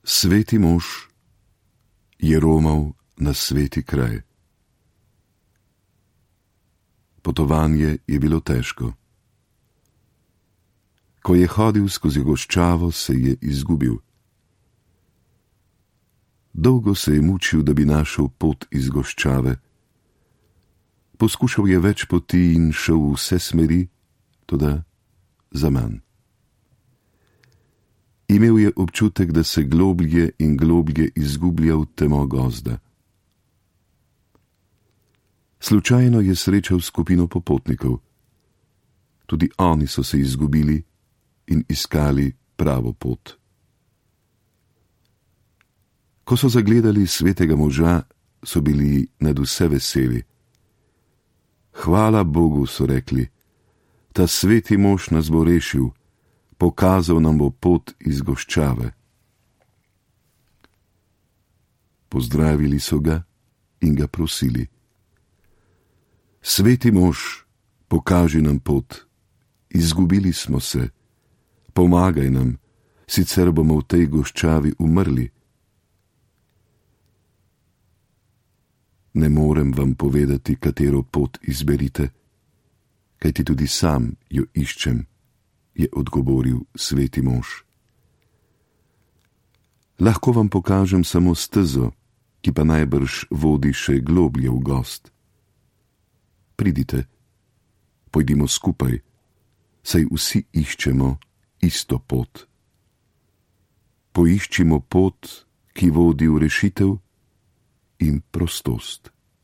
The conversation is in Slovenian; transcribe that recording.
Sveti mož je romal na sveti kraj. Potovanje je bilo težko. Ko je hodil skozi goščavo, se je izgubil. Dolgo se je mučil, da bi našel pot iz goščave. Poskušal je več poti in šel v vse smeri, toda zaman. Imel je občutek, da se globlje in globlje izgublja v temo gozda. Slučajno je srečal skupino popotnikov. Tudi oni so se izgubili in iskali pravo pot. Ko so zagledali svetega moža, so bili nadvse veseli. Hvala Bogu, so rekli, ta sveti mož nas bo rešil, pokazal nam bo pot iz goščave. Pozdravili so ga in ga prosili. Sveti mož, pokaži nam pot, izgubili smo se, pomagaj nam, sicer bomo v tej goščavi umrli. Ne morem vam povedati, katero pot izberite, kajti tudi sam jo iščem, je odgovoril sveti mož. Lahko vam pokažem samo stezo, ki pa najbrž vodi še globlje v gozd. Pridite, pojdimo skupaj, saj vsi iščemo isto pot. Poiščimo pot, ki vodi v rešitev in prostost.